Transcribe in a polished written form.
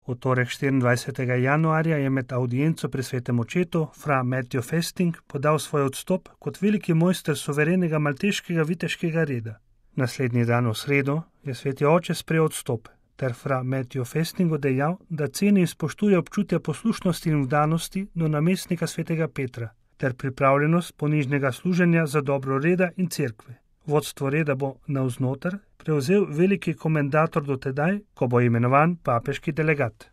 V torek 24. januarja je med audienco pri svetem očetu fra Matthew Festing podal svoj odstop kot veliki mojster suverenega malteškega viteškega reda. Naslednji dan v sredo je sveti oče sprejel odstop ter fra Matthew Festingu dejal, da ceni in spoštuje občutja poslušnosti in vdanosti do namestnika svetega Petra ter pripravljenost ponižnega služenja za dobro reda in cerkve. Vodstvo reda bo navznoter prevzel veliki komendator do tedaj, ko bo imenovan papeški delegat.